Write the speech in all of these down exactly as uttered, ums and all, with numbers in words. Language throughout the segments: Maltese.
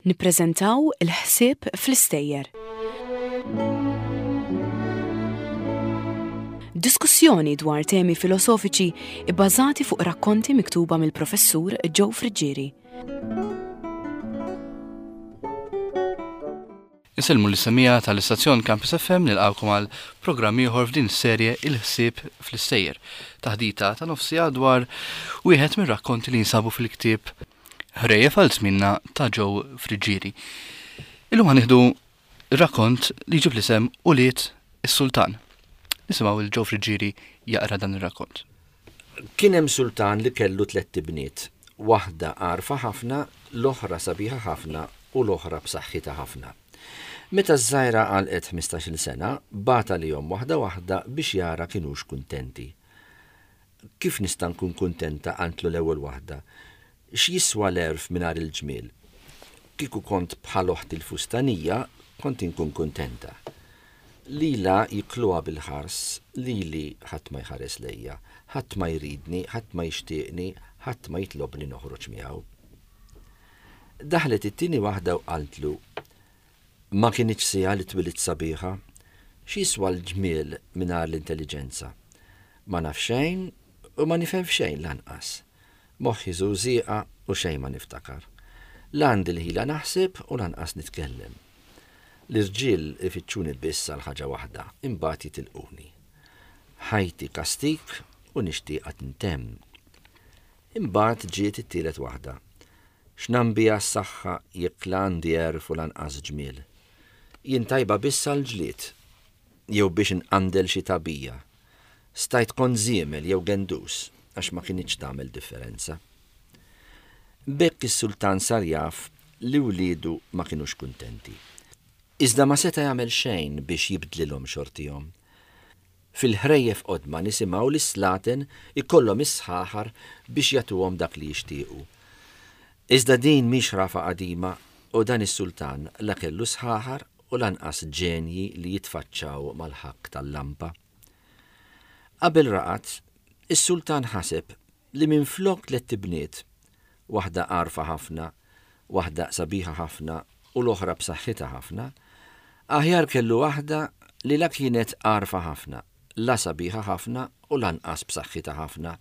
Nippreżentaw il-ħsieb fl-istejjer. Diskussjoni dwar temi filosofiċi ibbażati fuq rakkonti miktuba mill-professur Joe Friggieri. Insellmu l-semija tal-istazzjon Campus F M nilqgħukom għal programm ieħor f'din is-serje Il-ħsieb fl-istejjer. Taħdita ta' nofsija dwar wieħed mir-rakkonti li jinsabu fil-ktieb Ħrejjef għal żmienna ta' Joe Friggieri. Illum ħanieħdu rakkont li jġib l-isem Ulied is-Sultan. Nisimgħu il Joe Friggieri jaqra dan ir-rakkont. Kien hemm sultan li kellu tliet ibniet, waħda għarfa ħafna, l-oħra sabiħa ħafna u l-oħra b'saħħitha ħafna. Meta ż-żgħira għalqet ħmistax-il sena, bagħat lihom waħda waħda biex jara kinux kuntenti. Kif nista' nkun kuntenta, qantlu l-ewwel waħda? X'jiswa l-għerf mingħajr il-ġmiel? Kieku kont bħal oħti l-fustanija, kont inkun kuntenta. Lila jikluha bil-ħars, lili ħadd ma jħares lejja, ħadd ma jridni, ħadd ma jixtieqni, ħadd ma jitlobni noħroġ miegħu. Daħlet it-tieni waħda u qaltlu, ma kinitx siegħa li twilit sabiħa, x'jiswa l-ġmiel mingħajr l-intelliġenza? Ma naf xejn u ma nifhem f'xejn lanqas. Moħħi żużieqa u xejn ma niftakar. La għandi l-ħila naħseb u lanqas nitkellem. L-irġiel ifittxuni biss għal ħaġa waħda, imbagħad jitilquni. Ħajti kastik u nixtieqha tintemm. Imbagħad ġiet it-tielet waħda. X'nambiha s-saħħa jekk la għandi għerf u lanqas ġmiel. Jien tajba biss għal ġlied, jew biex inqandel xi tagħbija. Stajt kont żiemel jew gendus, għax ma kinitx tagħmel differenza. B'hekk is-sultan sar jaf li wliedu ma kinux kuntenti. Iżda ma seta' jagħmel xejn biex jibdlilhom xortihom. Fil-ħrejjef qodma nisimgħu li s-slaten ikollhom is-sħaħar biex jagħtuhom dak li jixtiequ. Iżda din mhix ħrafa qadima u dan is-sultan la kellu sħaħar u lanqas ġenji li jitfaċċaw mal-ħakk tal-lampa. Qabel raqad, is-sultan ħaseb li minflok tliet ibniet, waħda għarfa ħafna, waħda sabiħa ħafna u l-oħra b'saħħitha ħafna, aħjar kellu waħda li la kienet għarfa ħafna, la sabiħa ħafna u lanqas b'saħħitha ħafna,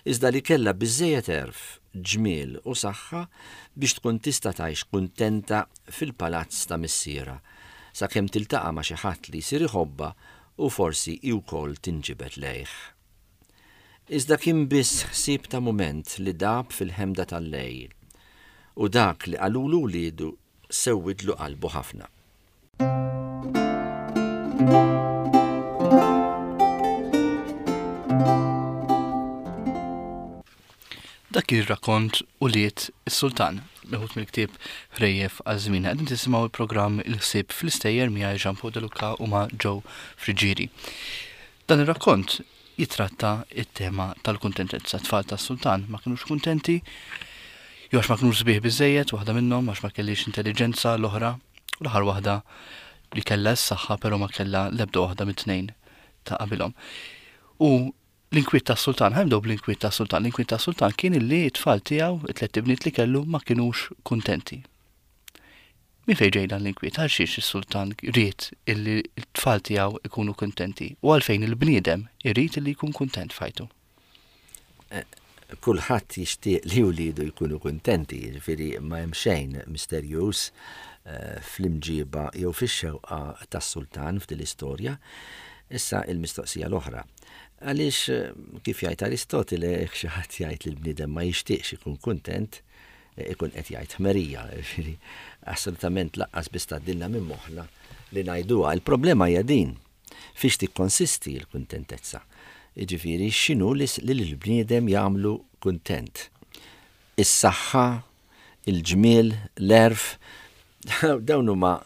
iżda li kellha biżżejjed għerf, ġmiel u saħħa biex tkun tista' tgħix kuntenta fil-palazz ta' missierha, sakemm tiltaqa' ma' xi ħadd li jsir iħobbha u forsi hi wkoll tinġibed lejh. Iżda kien biss ħsieb ta' mument li dab fil-ħemda tal-lejl, u dak li qalulu wliedu sewwidlu qalbu ħafna. Dak ir-rakkont Ulied is-Sultan, meħud mill-ktieb Ħrejjef għal żmienna. Qegħdin tisimgħu l-programm Il-ħsieb fl-istejjer miegħi Jean Paul De Luca u ma' Joe Friggieri. Dan ir-rakkont jitratta it-tema tal-kuntentezza. Tfal tas-sultan ma kinux kuntenti, jew għax ma kinux sbieħ biżżejjed, waħda minnhom għax ma kellix intelliġenza, l-oħra, u l-aħħar waħda li kellha s-saħħa però ma kellha l-ebda waħda mit-tnejn ta' qabilhom. U l-inkwiet tas-sultan, ħa nibdew bl-inkwiet tas-sultan. L-inkwiet tas-sultan kien illi t-tfal tiegħu, it-tliet ibniet li kellu, ma kinux kuntenti. Min fejn ġej dan l-inkwiet? Għal xiex is-sultan ried illi t-tfal tiegħu ikunu kuntenti? U għalfejn il-bniedem irid illi jkun kuntent f'ħajtu? Eh, kulħadd jixtieq li wliedu jkunu kuntenti, jiġifieri ma hemm xejn misterjuż, eh, fl-imġiba jew fix-xewqa tas-sultan f'din l-istorja. Issa il-mistoqsija l-oħra. Għaliex, eh, kif jgħid Aristotele, jekk xi ħadd jgħid li l-bniedem ma jixtieqx ikun kuntent, eh, ikun qed jgħid ħmerija, jiġifieri assolutament laqqas biss tgħaddilna minn moħħna li ngħiduha. Il-problema hija din, fiex tikkonsisti l-kuntentezza. Jiġifieri x'inhu li s-, li l-bniedem jagħmlu kuntent? Is-saħħa, il-ġmiel, l-għerf, dawn huma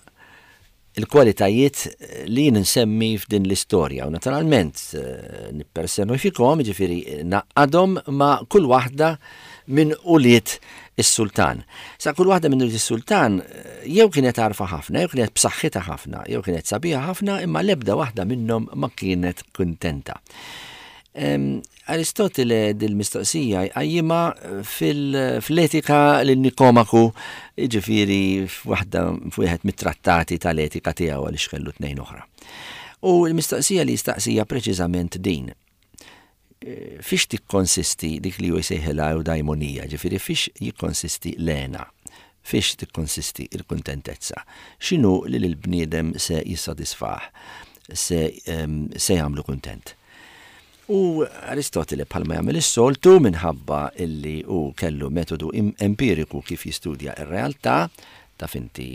il-kwalitajiet li jien nsemmi f'din l-istorja. U naturalment, eh, nippersonifikhom, jiġifieri naqqadhom ma' kull waħda minn ulied is-sultan. Sa kull waħda minn ulied is-sultan, eh, jew kienet għarfa ħafna, jew kienet b'saħħitha ħafna, jew kienet sabiħa ħafna, imma l-ebda waħda minnhom ma kienet kuntenta. Aristotele dil-mistoqsija jqajjimha fil-Etika lil Nikomaku, jiġifieri f'waħda f'wieħed mit-trattati tal-etika tiegħu, għaliex kellu tnejn oħra. U l-mistoqsija li jistaqsija preċiżament din: fiex tikkonsisti dik li hu jsejħilha eudaimonija, ġifieri fiex jikkonsisti l-hena, fiex tikkonsisti il-kuntentezza, x'inhu li l-bniedem se jissodisfah, se, se jagħmlu kuntent? U Aristotele, bħalma jagħmel is-soltu, minħabba illi hu kellu metodu empiriku kif jistudja ir-realtà, taf inti,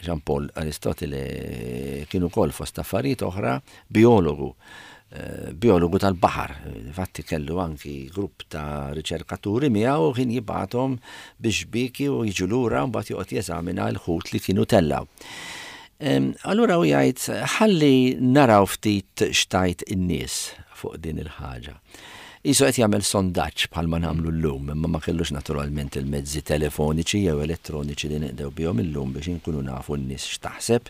Jean Paul, Aristotele kien ukoll, fost affarijiet oħra, biologu, biologu tal-baħar. Infatti kellu anki grupp ta' riċerkaturi miegħu, kien jibgħathom biex biki u jiġu lura, mbagħad joqgħod jeżamina l-ħut li kienu tellaw. Allura u jgħid, ħalli naraw ftit x'tgħid in-nies fuq din il-ħaġa. Qisu qed jagħmel sondaġġ bħalma nagħmlu llum, imma ma kellux naturalment il-mezzi telefoniċi jew elettroniċi li nqdew bihom illum biex inkunu nafu n-nies x'taħseb.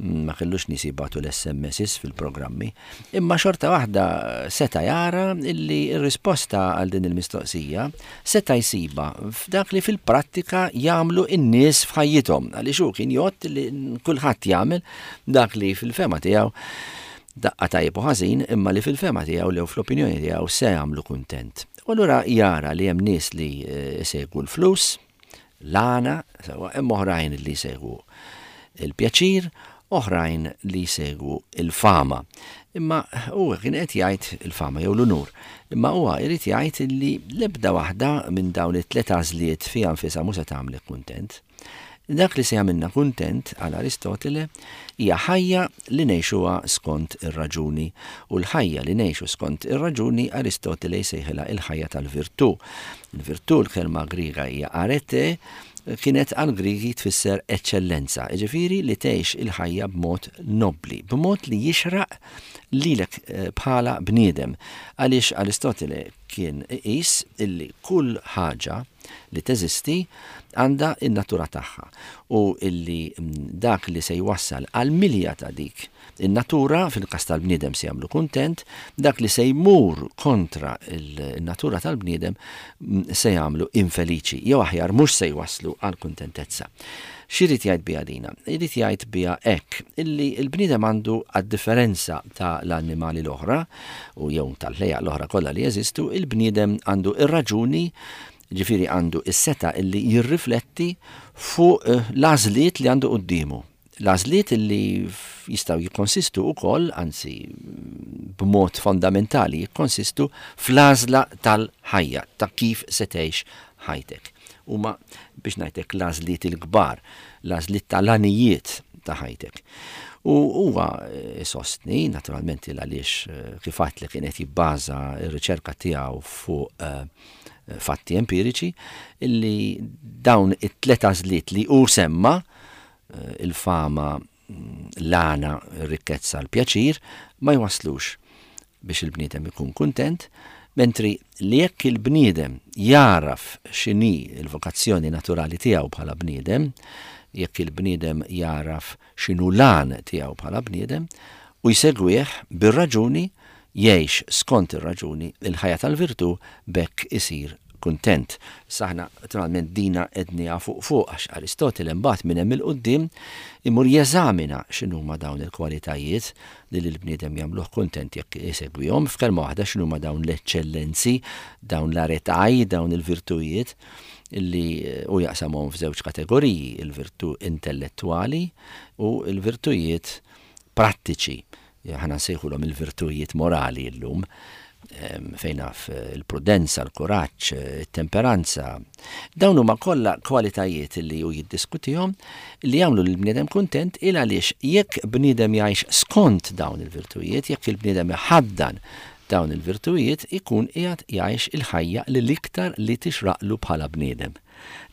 Ma kellux nies jibgħatu l-S M Ss fil-programmi, imma xorta waħda seta' jara illi r-risposta għal din il-mistoqsija seta' jsiba f'dak li fil-prattika jagħmlu n-nies f'ħajjithom, għaliex hu kien jgħod li kulħadd jagħmel dak li fil-fehma tiegħu, daqqa tajjeb u ħażin, imma li fil-fehma tiegħu jew fl-opinjoni tiegħu se jagħmlu kuntent. U allura jara li hemm nies li jsegwu l-flus, l-għana, sewa, hemm oħrajn li jsegwu il-pjaċir, oħrajn li jsegwu il-fama. Imma huwa kien qed jgħid il-fama jew l-unur. Imma huwa jrid jgħid li l-ebda waħda minn dawn it-tliet għażliet fiha nfisha mhux se tagħmlek kuntent. Dak li se jagħmilna kuntent għal Aristotele hija ħajja li ngħixuha skont ir-raġuni, u l-ħajja li ngħixu skont ir-raġuni Aristotele jsejħilha il-ħajja tal-virtù. Il-virtù, l-kelma Griega hija arete, kienet għal Grigi tfisser eċċellenza, ġifieri li tgħix il-ħajja b'mod nobli, b'mod li jixraq lilek eh, bħala bniedem. Għaliex Aristotele kien iqis illi kull ħaġa li teżisti għandha in-natura tagħha u illi mm, dak li se jwassal għal milja ta' dik in-natura, fil-każ tal-bniedem, se jagħmlu kuntent, dak li se jmur kontra il-natura tal-bniedem mm, se jagħmlu infeliċi, jew aħjar mhux se jwaslu għal kuntentezza. X'irid jgħid biha dina? Irid jgħid biha hekk, illi l-bniedem għandu, għad-differenza ta' l-annimali l-oħra u jew tal-ħlejjaq l-oħra kollha li jeżistu, il-bniedem għandu ir-raġuni, ġifieri għandu is-setgħa illi jirrifletti fuq eh, l-għażliet li għandu quddiemu. L-għażliet illi jistgħu jikkonsistu wkoll, anzi b'mod fondamentali jikkonsistu fl-għażla tal-ħajja, ta' kif se tgħix ħajtek. Huma, biex ngħidlek, l-għażliet il-kbar, l-għażliet tal-għanijiet ta' ħajtek. U huwa eh, sostni, naturalment, għaliex eh, kif li kienet jibbaża r-riċerka tiegħu fuq eh, fatti empiriċi, illi dawn it-tlet għażliet li hu semma, il-fama, mm, l-għana, r-rikkezza, l-pjaċir, ma jwaslux biex il-bniedem ikun kuntent, mentri li jekk il-bniedem jaraf x'inhi il-vokazzjoni naturali tiegħu bħala bniedem, jekk il-bniedem jaraf x'inhu l-għan tiegħu bħala bniedem u jsegwih bir-raġuni, jgħix skont ir-raġuni, il-ħajja tal-virtù, b'hekk isir kuntent. Aħna naturalment dina għednieha fuq fuq, għax Aristotele mbagħad minn hemm 'il quddiem imur jeżamina x'inhuma dawn il-kwalitajiet li l-bniedem jagħmluh kuntent jekk isegwihom, f'kelma waħda x'inhuma dawn l-eċċellenzi, dawn l-aretaj, dawn il-virtujiet illi u jaqsamhom f'żewġ kategoriji, il-virtù intellettuali u l-virtujiet prattiċi. Aħna nsejħulhom il-virtujiet morali llum, fejn naf il-prudenza, l-kuraġġ, il-temperanza. Dawn huma kollha kwalitajiet li hu jiddiskutihom li jagħmlu lill-bniedem kuntent, il għaliex jekk bniedem jgħix skont dawn il-virtujiet, jekk il-bniedem iħaddan dawn il-virtujiet, ikun qiegħed jgħix il-ħajja li l-iktar li tixraqlu bħala bniedem.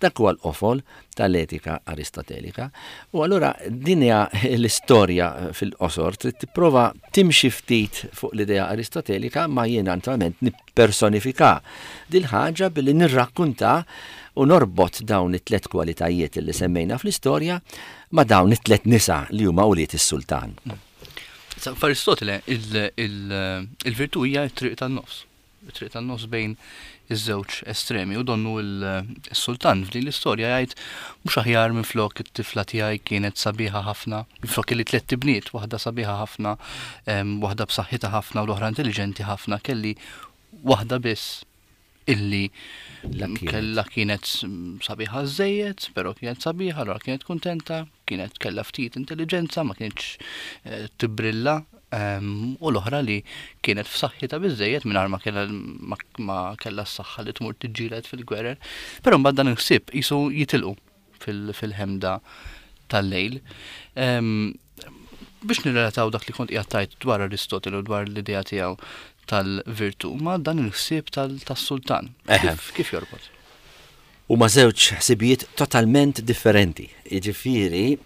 Dak huwa l-qofol tal-etika aristotelika. U allura din hija l-istorja fil-qosor, trid tipprova timxi ftit fuq l-idea aristotelika, ma jiena naturalment nippersonifika dil-ħaġa billi nirrakkunta u norbot dawn it-tlet kwalitajiet li semmejna fl-istorja ma' dawn it-tlet nisa li huma ulied is-sultan. F'Aristotele, il-virtù hija t-triq tan-nofs. It-triq tan-nofs bejn iż-żewġ estremi, u donnu il-sultan f'din l-istorja jgħid mhux aħjar minn flok it-tifla tiegħi kienet sabiħa ħafna, flok li tliet ibniet, waħda sabiħa ħafna, waħda b'saħħitha ħafna u l-oħra intelligenti ħafna, kelli waħda biss illi kella kienet sabiħa żejjed, però kienet sabiħa, allura kienet kuntenta, kienet kella ftit intelligenza, ma kienx eh, tibrilla, u l-oħra li kienet f'saħħitha biżejjed mingħajr ma kellha ma kellha s-saħħa li tmur tiġġieled fil-gwerer. Però mbagħad dan il-ħsieb qisu jitilqu fil-ħemda tal-lejl. Biex nirrelataw dak li kont qiegħed tgħid dwar Aristotele u dwar l-idea tiegħu tal-virtù ma' dan il-ħsieb tas-sultan. Kif jorbot? Huma żewġ ħsibijiet totalment differenti. Jiġifieri,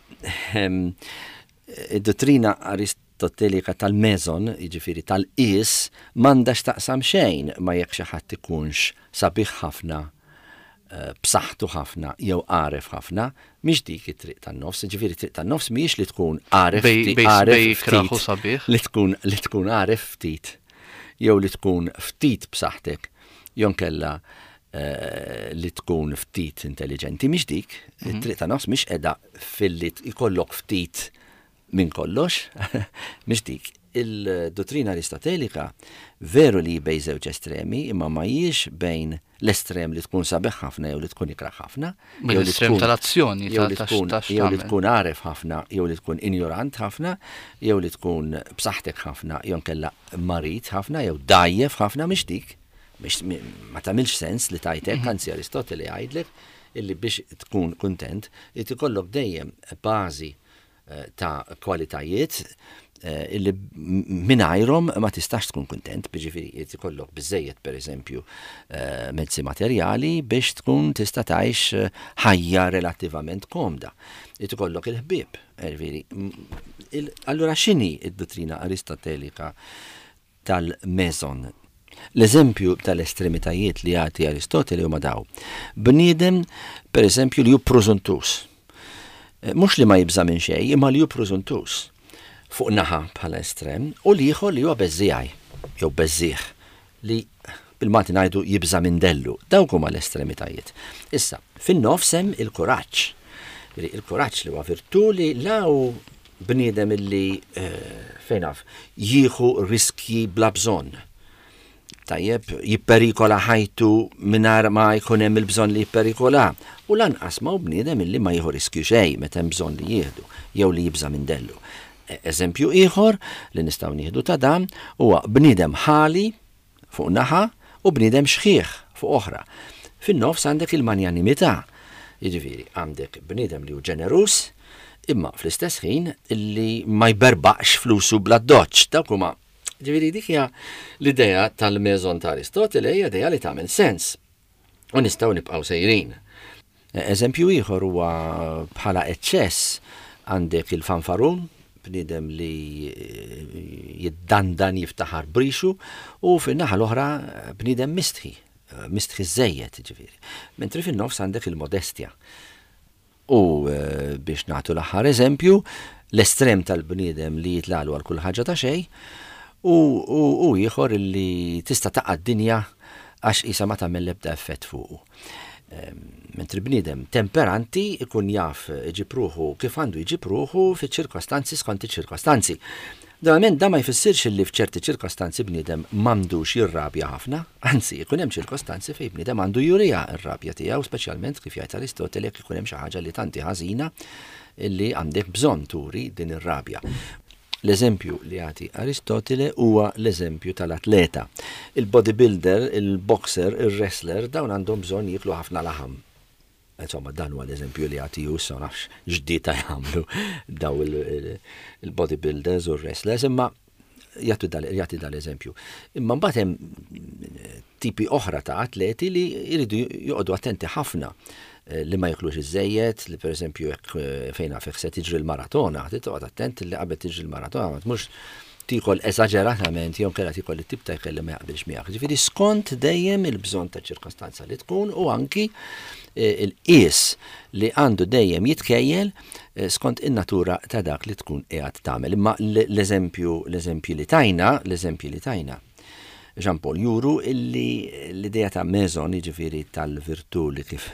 id-dottrina aristotelika tal-meson, jiġifieri tal-qis, m'għandha x'taqsam xejn ma jekk xi ħadd ikunx sabiħ ħafna, b'saħħtu ħafna jew għaref ħafna, mhix dik it-triq tan-nofs, jiġifieri triq tan-nofs mhijiex li tkun għaref ftit, li tkun li tkun għaref ftit jew li tkun ftit b'saħħtek, jew nkella li tkun ftit intelligenti, mhix dik. It-triq tan-nofs mhix qiegħda filli jkollok ftit minn kollox, mhix dik. Il-dottrina aristotelika veru li bejn żewġ estremi, imma ma hijiex bejn l-estrem li tkun sabiħ ħafna jew li tkun ikrah ħafna, jew l-estrem tal-azzjoni, jew li tkun jew li tkun għaref ħafna, jew li tkun injorant ħafna, jew li tkun b'saħħtek ħafna, jew nkella marid ħafna, jew dajjef ħafna, mhix dik. Ma tagħmilx sens li tajtek, anzi Aristotele jgħidlek illi biex tkun kuntent, irid ikollok dejjem bażi ta' kwalitajiet illi mingħajrhom ma tistax tkun kuntent, jiġifieri jrid ikollok biżejjed pereżempju mezzi materjali biex tkun tista' tgħix ħajja relattivament komda. Irid ikollok il-ħbieb, jiġifieri. Allura x'inhi d-dottrina aristotelika tal-meson? L-eżempju tal-estremitajiet li jagħti Aristotele huma daw. Bniedem, pereżempju, li hu prużuntus. Mhux li ma jibża' minn xejn, imma li hu prużuntus fuq naħa bħala estrem, u l-ieħor li huwa beżżiegħi jew beżżieħ li bil-Malti ngħidu jibża' minn dellu. Dawk huma l-estremitajiet. Issa, fin-nofs hemm il-kuraġġ. Il-kuraġġ li huwa virtù li la hu bniedem illi fejn naf jieħu riskji bla bżonn. Tajjeb, jipperikola ħajtu mingħajr ma jkun hemm il-bżonn li jipperikola. U lanqas ma hu bniedem illi ma jieħu riskju xejn meta hemm bżonn li jieħdu jew li jibża' minn dellu. Eżempju ieħor li nistgħu nieħdu ta' dan huwa bniedem ħali fuq naħa u bniedem xħiħ fuq oħra. Fin-nofs għandek il-manjanimità. Jiġifieri għandek bniedem li hu ġenerus imma fl-istess ħin illi ma jberbaqx flusu bla doċċ. Dawk huma, ġifieri dik hija l-idea tal-meson ta' Aristotele, hija idea li tagħmel sens u nistgħu nibqgħu sejrin. Eżempju ieħor huwa bħala eċċess għandek il-fanfarun, bniedem li jiddandan jiftaħar brixu, u fin-naħa l-oħra bniedem mistħi, mistħi żejjed ġifieri. Mentri fin-nofs għandek il-modestja. U biex nagħtu l-aħħar eżempju, l-estrem tal-bniedem li jitlalu għal kull ħaġa ta' xejn, u ieħor li tista' taqa' d-dinja għax qisha ma tagħmel l-ebda effett fuqu. Mentri bniedem temperanti ikun jaf iġib ruħu kif għandu jġib ruħu fiċ-ċirkostanzi skont iċ-ċirkostanzi. Ovvjament da ma jfissirx li f'ċerti ċirkostanzi bniedem m'għandux jirrabja ħafna, anzi ikun hemm ċirkostanzi fejn bniedem għandu jurija r-rabja tiegħu, speċjalment kif jgħid Aristotele jekk ikun hemm xi ħaġa li tanti ħażina illi għandek bżonn turi din ir-rabja. L-eżempju li jagħti Aristotele huwa l-eżempju tal-atleta. Il-bodybuilder, il-boxer, il-wrestler, dawn għandhom bżonn jieklu ħafna laħam. Insomma, dan huwa l-eżempju li jagħti hu, issa nafx x'dieta jagħmlu daw il-bodybuilders u l-wrestlers, imma jagħti dal-eżempju. Imma mbagħad hemm tipi oħra ta' atleti li jridu joqogħdu attenti ħafna li ma jiklux iż-żejjed, li pereżempju jekk fejn naf se tiġri l-maratona, trid toqgħod attent li qabel tiġri l-maratona ma tmurx Tiekol eżaġeratament jew inkella tiekol it-tip ta' ikel li ma jaqbilx miegħek. Ġifieri skont dejjem il-bżonn ta' ċirkostanza li tkun u anki eh, il-qies li għandu dejjem jitkejjel eh, skont in-natura ta' dak li tkun qiegħed tagħmel. Imma l-eżempju l-eżempju li tajna, l-eżempju li tajna Jean Paul juru illi l-idea ta' meson, jiġifieri tal-virtù li kif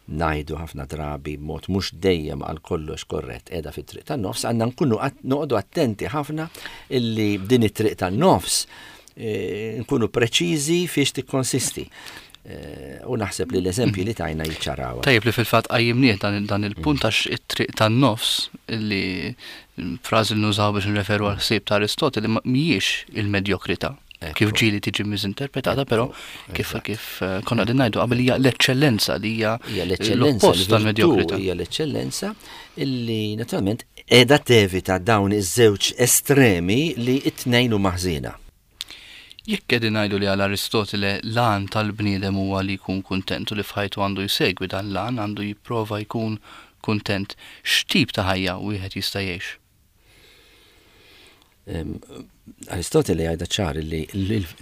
ngħidu ħafna drabi b'mod mhux dejjem għal kollox korrett qiegħda fit-triq tan-nofs, għandna nkunu noqogħdu attenti ħafna illi din it-triq tan-nofs eh, nkunu preċiżi fiex tikkonsisti. Eh, u naħseb li l-eżempji li tajna jiċċaraw. Tajjeb li fil-fatt qajjimnieh dan il-punt għax it-triq tan-nofs li frażi li nużaw biex nreferu għal ħsieb ta' Aristoteli mhijiex il-medjokrità. Kif ġieli tiġi miżinterpretata, però kif kif eh, konna qegħdin ngħidu qabel hija l-eċċellenza li hija l-oppost tal-medjokrità. Hija l-eċċellenza illi naturalment qiegħda tevita dawn iż-żewġ estremi li t-tnejn huma ħżiena. Jekk qegħdin ngħidu li għal Aristotele l-għan tal-bniedem huwa li jkun kuntent u li f'ħajtu għandu jsegwi dan l-għan, għandu jipprova jkun kuntent, x'tip ta' ħajja wieħed jista' jgħix? Aristotele jgħidha ċar li,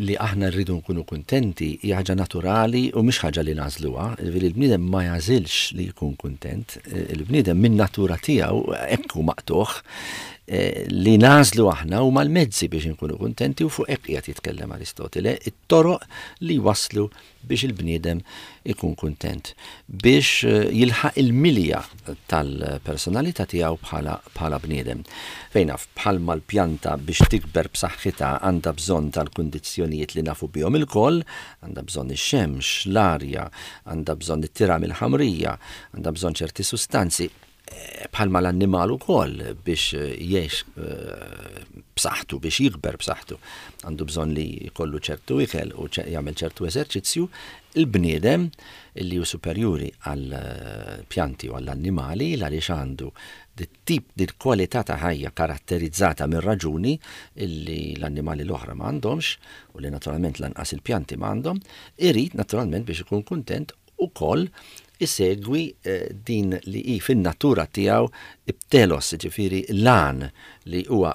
li aħna rridu nkunu kuntenti hija ħaġa naturali u mhix ħaġa li nagħżluha. Ġifieri l-bniedem ma jagħżilx li jkun kuntent, il-bniedem min natura tiegħu hekk hu maqtugħ eh, li nagħżlu aħna huma l-mezzi biex nkunu kuntenti u fuq hekk qiegħed jitkellem Aristotele, it-toroq li waslu biex il-bniedem ikun kuntent, biex eh, jilħaq il-milja tal-personalità tiegħu bħala bħala bniedem. Fejn naf bħalma l-pjanta biex tikber b'saħħitha għandha bżonn tal-kundizzjonijiet li nafu bihom ilkoll, għandha bżonn ix-xemx, l-arja, għandha bżonn it-tira mill-ħamrija, għandha bżonn ċerti sustanzi, eh, bħalma l-annimal ukoll biex jgħix eh, b'saħħtu, biex jikber b'saħħtu, għandu bżonn li jkollu ċertu ikel u jagħmel ċertu eżerċizzju, il-bniedem li hu superjuri għal eh, pjanti u għall-annimali għaliex għandu dit-tip dit kwalità ta' ħajja karatterizzata minn raġuni illi l-annimali l-oħra ma għandhomx u li naturalment lanqas il-pjanti ma għandhom, irid naturalment biex ikun kuntent ukoll isegwi eh, din li hi fin-natura tiegħu it-telos, ġifieri l-għan li huwa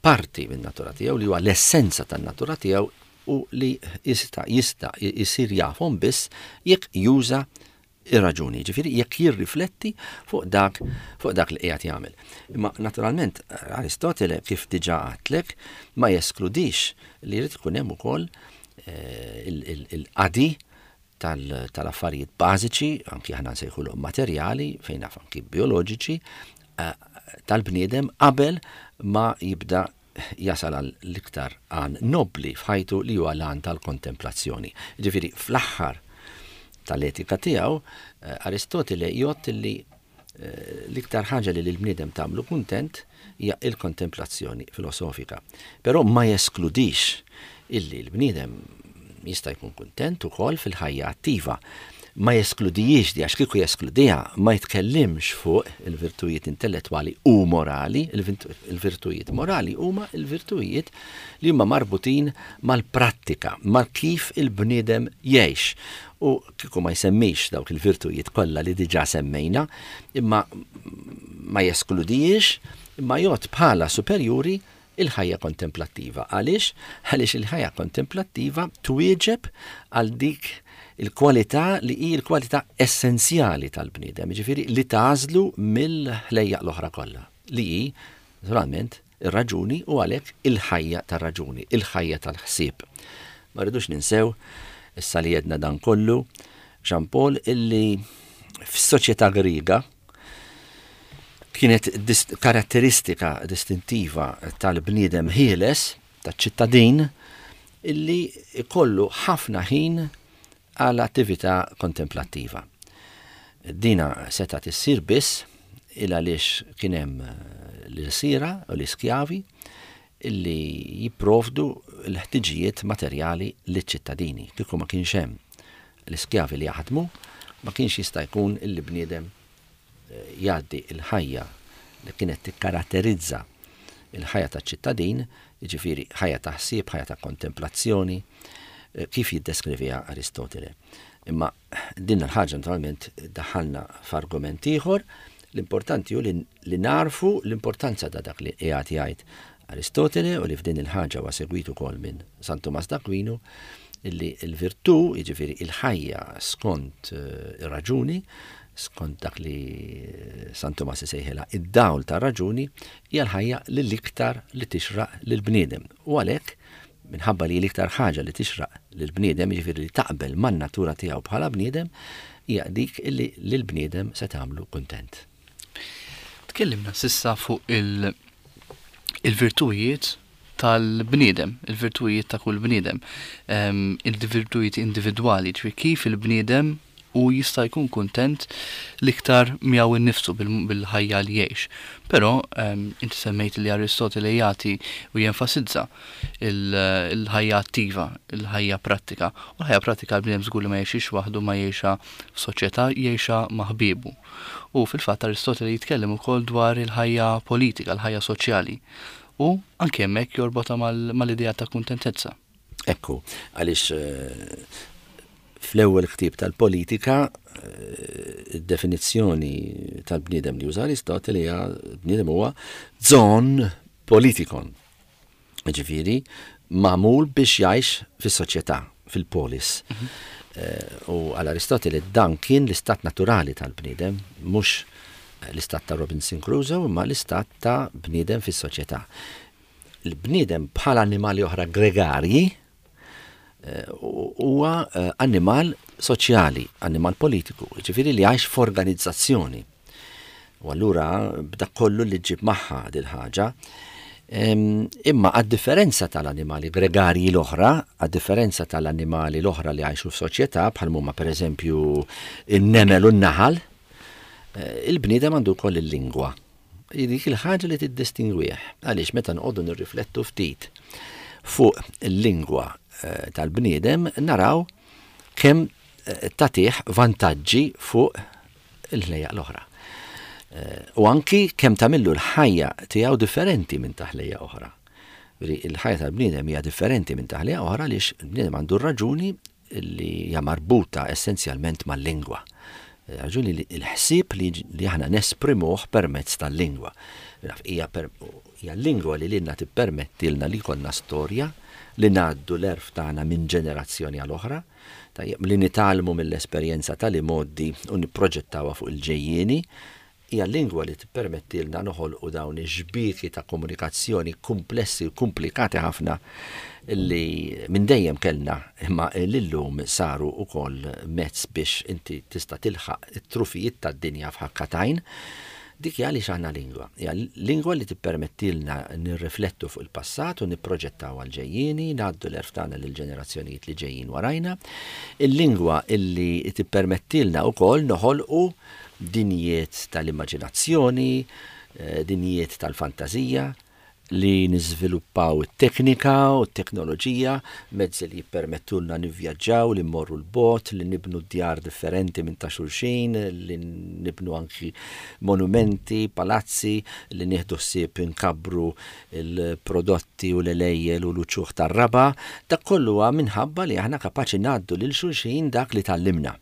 parti minn natura tiegħu, li huwa l-essenza tan-natura tiegħu u li jista' jista' jsir jafhom biss jekk juża ir-raġuni, ġifieri jekk jirrifletti fuq dak fuq dak li qiegħed jagħmel. Imma naturalment Aristotele kif diġà għedtlek ma jeskludix li jrid ikun hemm ukoll eh, il-qadi tal-affarijiet bażiċi, anki aħna nsejħulhom materjali, fejn naf anki bioloġiċi, eh, tal-bniedem qabel ma jibda jasal għal l-iktar għan nobli f'ħajtu li huwa l-għan tal-kontemplazzjoni. Ġifieri fl-aħħar tal-etika tiegħu eh, Aristotele jgħod li eh, l-iktar ħaġa li l-bniedem tagħmlu kuntent hija il-kontemplazzjoni filosofika. Però ma jeskludix illi l-bniedem jista' jkun kuntent ukoll fil-ħajja attiva. Ma jeskludijiex di, għax kieku jeskludiha ma jitkellimx fuq il-virtujiet intellettwali u morali. Il-virtujiet morali huma il-virtujiet li huma marbutin mal-prattika, mal kif il-bniedem jgħix. U kieku ma jsemmix dawk il-virtujiet kollha li diġà semmejna, imma ma jeskludijiex, imma jgħod bħala superjuri il-ħajja kontemplattiva. Għaliex? Għaliex il-ħajja kontemplattiva twieġeb għal dik il-kwalità li hi l-kwalità essenzjali tal-bniedem, ġifieri li tagħżlu mill-ħlejjaq l-oħra kollha, li hi naturalment ir-raġuni u għalhekk il-ħajja tar-raġuni, il-ħajja tal-ħsieb. Ma rridux ninsew, issa li jedna dan kollu, Jean Paul, illi fis-soċjetà Griega kienet dist-, karatteristika distintiva tal-bniedem ħieles, taċ-ċittadin, illi ikollu ħafna ħin għal attività kontemplattiva. Dina seta' tissir biss il għaliex kien hemm l-ilsira u l-iskjavi illi jipprovdu l-ħtiġijiet materjali liċ-ċittadini. Kieku ma kienx hemm l-iskjavi li jaħdmu, ma kienx jista' jkun illi bniedem jgħaddi il-ħajja li kienet tikkaratterizza il-ħajja taċ-ċittadin, jiġifieri ħajja ta' ħsieb, ħajja ta' kontemplazzjoni, eh, kif jiddeskriviha Aristotele. Imma din il-ħaġa naturalment daħalna f'argument ieħor, l-importanti hu li, li narfu l-importanza ta' dak li qiegħed jgħid Aristotele, u li f'din il-ħaġa huwa segwit ukoll minn San Tumas d'Aquino, illi l-virtù, jiġifieri il-ħajja skont eh, ir-raġuni, skont dak li eh, San Tumas isejħilha id-dawl tar-raġuni, hija l-ħajja li l-iktar li tixraq lill-bniedem. U għalhekk, minħabba li l-iktar ħaġa li tixraq lill-bniedem, jiġifieri li taqbel man-natura tiegħu bħala bniedem, hija dik illi lill-bniedem se tagħmlu kuntent. Tkellimna s'issa fuq il- il-virtujiet tal-bniedem, il-virtujiet ta' kull bniedem, ehm, il-virtujiet individwali, ġifieri kif il-bniedem u jista' jkun kuntent l-iktar miegħu innifsu bil-ħajja li jgħix. Però ehm, inti semmejt li Aristotele jagħti u jenfasizza il-ħajja attiva, il-ħajja prattika. U l-ħajja prattika l-bniedem żgur li ma jgħixix waħdu, ma jgħixha f'soċjetà, jgħixha ma' ħbiebu. U fil-fatt Aristotele jitkellem ukoll dwar il-ħajja politika, il-ħajja soċjali. U anke hemmhekk jorbotha mal-idea ta' kuntentezza. Ekku, għaliex eh, fl-ewwel ktieb tal-politika eh, id-definizzjoni tal-bniedem li juża Aristotele hija bniedem huwa zoon politikon. Ġifieri magħmul biex jgħix fis-soċjetà, fil-polis. Mhm. Eh, u għal Aristotele dan kien l-istat naturali tal-bniedem, mhux l-istat ta' Robinson Crusoe, imma l-istat ta' bniedem fis-soċjetà. Il-bniedem bħal annimali oħra gregarji eh, huwa eh, annimal soċjali, annimal politiku, ġifieri li jgħix f'organizzazzjoni. U allura b'dak kollu li ġib magħha dil-ħaġa. Imma għad-differenza tal-annimali gregarji l-oħra, għad-differenza tal-annimali l-oħra li jgħixu f'soċjetà, bħal huma pereżempju in-nemel u n-naħal, eh, il-bniedem għandu wkoll il-lingwa. Dik il-ħaġa li tiddistingwih. Għaliex meta nqogħdu nirriflettu ftit fuq il-lingwa eh, tal-bniedem naraw kemm eh, tagħtih vantaġġi fuq il-ħlejjaq l-oħra. U anki kemm tagħmillu l-ħajja tiegħu differenti minn ta' ħlejja oħra. Il-ħajja tal-bniedem hija differenti minn ta' ħlejja oħra għaliex il-bniedem għandu raġuni li hija marbuta essenzjalment mal-lingwa. Raġuni li l-ħsieb li aħna nesprimuh permezz tal-lingwa. Hija l-lingwa li lilna tippermettilna li jkollna storja, li ngħaddu l-għerf tagħna minn ġenerazzjoni għal oħra, tajjeb, li nitgħallmu mill-esperjenza tal-imgħoddi u nipproġettawha fuq il-ġejjieni. Hija l-lingwa li tippermettilna noħolqu dawn ix-xbieki ta' komunikazzjoni komplessi u komplikati ħafna li minn dejjem kellna, imma l-lum saru wkoll mezz biex inti tista' tilħaq it-trufijiet tad-dinja f'ħakka t'għajn. Dik hija għaliex għandna lingwa. Hija lingwa li tippermettilna nirriflettu fuq il-passat u nipproġettaw għal-ġejjieni, ngħaddu l-għerf tagħna lill-ġenerazzjonijiet li ġejjin warajna. Il-lingwa illi tippermettilna wkoll noħolqu dinjiet tal-immaġinazzjoni, eh, dinjiet tal-fantażija, li niżviluppaw it-teknika u t-teknoloġija, mezzi li jippermettulna nivvjaġġaw, li mmorru l-bogħod, li nibnu djar differenti minn ta' xulxin, li nibnu anki monumenti, palazzi, li nieħdu ħsieb inkabbru il-prodotti u l-għelejjel u l-uċuħ tar-raba'. Dak kollu huwa minħabba li aħna kapaċi ngħaddu lil xulxin dak li tgħallimna.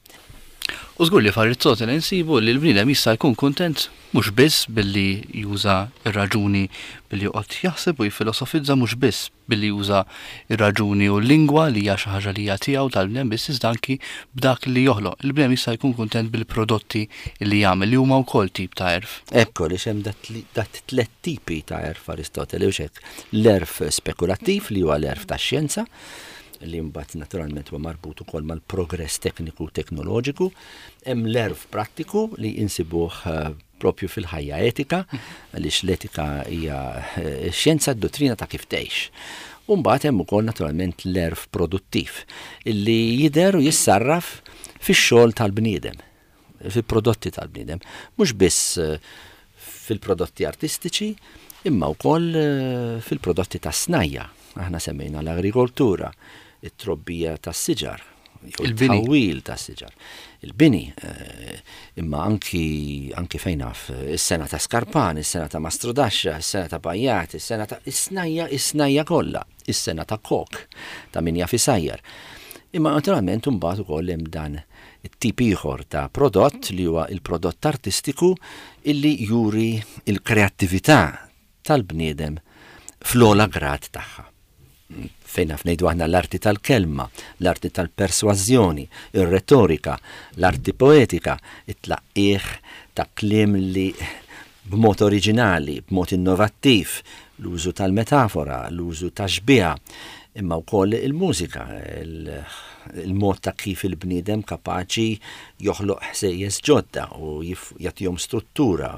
U żgur li f'Aristotele nsibu li l-bniedem jista' jkun kuntent mhux biss billi juża r-raġuni billi joqgħod jaħseb u jifilosofizza, mhux biss billi juża r-raġuni u l-lingwa li hija xi ħaġa li hija tiegħu tal-bniedem biss, iżda anki b'dak li joħloq. Il-bniedem jista' jkun kuntent bil-prodotti li jagħmel li huma wkoll tip ta' għerf. Ekku li hemm dat tliet tipi ta' għerf Aristotele, u hekk l-għerf spekulattiv li huwa l-għerf tax-xjenza, li mbagħad naturalment huwa marbut ukoll mal-progress tekniku u teknoloġiku. Hemm l-għerf prattiku li insibuh, eh, propju fil-ħajja etika, għaliex l-etika hija, eh, xjenza d-dottrina ta' kif tgħix. U mbagħad hemm ukoll naturalment l-għerf produttiv illi jidher u jissarraf fix-xogħol tal-bniedem, fil-prodotti tal-bniedem, mhux biss, eh, fil-prodotti artistiċi, imma wkoll, eh, fil-prodotti tas-snajja. Aħna semmejna l-agrikoltura, it-trobbija tas-siġar, jew Il-bini. it-tħawwil tas-siġar. Il-bini, eh, imma anki, anki fejn naf, is-sena ta' Skarpan, is-sena ta' Mastrodaxxa, is-sena ta' Bajjat, is-sena ta' is-snajja, is-snajja kollha, is-sena ta' kok, ta' min jaf isajjar. Imma naturalment imbagħad ukoll hemm dan it-tip ieħor ta' prodott li huwa il-prodott artistiku illi juri il-kreattività tal-bniedem fl-ogħla grad tagħha. Fejn naf ngħidu aħna l-arti tal-kelma, l-arti tal-persważjoni, ir-retorika, l-arti poetika, it-tlaqqih ta' kliem li b'mod oriġinali, b'mod innovattiv, l-użu tal-metafora, l-użu ta' xbiha, imma wkoll il-mużika, il-mod ta' kif il-bniedem kapaċi joħloq ħsejjes ġodda u jagħtihom struttura,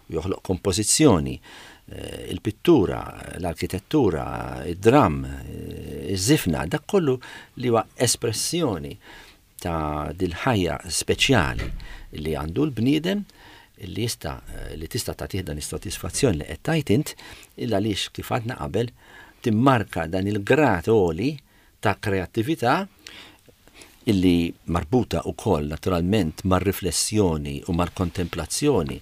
u joħloq kompożizzjoni, eh, il-pittura, l-arkitettura, id-dram, eh, iż-żifna, dak kollu li huwa espressjoni ta' dil-ħajja speċjali li għandu l-bniedem li jista' li tista' tagħtih dan is-sodisfazzjon li qed tgħid int, illa għaliex, kif għadna qabel, timmarka dan il-grad għoli ta' kreattività illi marbuta wkoll naturalment mar-riflessjoni u mal-kontemplazzjoni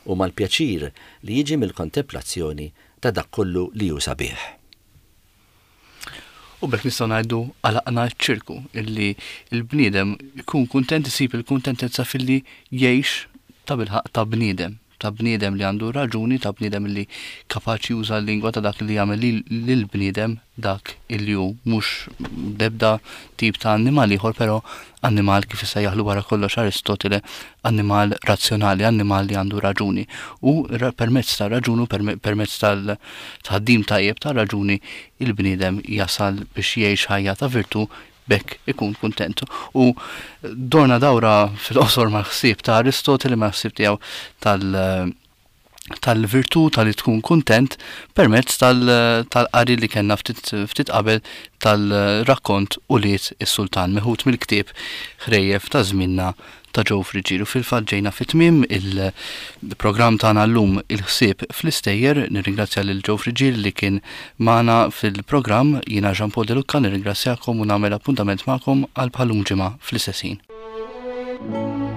u mal-pjaċir li jiġi mill-kontemplazzjoni ta' dak kollu li hu sabiħ. U b'hekk nistgħu ngħidu għalaqna ċ-ċirku illi l-bniedem ikun kuntent, isib il-kuntentezza filli jgħix ta' bilħaq ta' bniedem, ta' bniedem li għandu raġuni, ta' bniedem li kapaċi juża l-lingwa ta' dak li jagħmel lill-bniedem dak illi hu, mhux debda tip ta' annimal ieħor, però annimal, kif issejjaħlu wara kollox Aristotele, annimal razzjonali, annimal li għandu raġuni. U permezz ta' raġunu, permezz tal-tħaddim tajjeb ta' raġuni, il-bniedem jasal biex jgħix ħajja ta' virtu, b'hekk ikun kuntent. U dorna dawra fil-qosor mal-ħsieb ta' Aristotele, mal-ħsieb tiegħu tal- tal-virtu tal-li tkun kuntent permezz tal-qari li kellna ftit qabel tal-rakkont Ulied is-Sultan, meħud mill-ktieb Ħrejjef ta' Żmienna ta' Joe Friggieri. Fil-fatt ġejna fi tmiem il-programm tagħna llum, Il-Ħsieb fl-Istejjer. Nirringrazzja lil Joe Friggieri li kien magħna fil-programm. Jiena Jean Paul De Lucca nirringrazzjakom u nagħmel appuntament magħkom għal bħalum ġimgħa fl-istess ħin.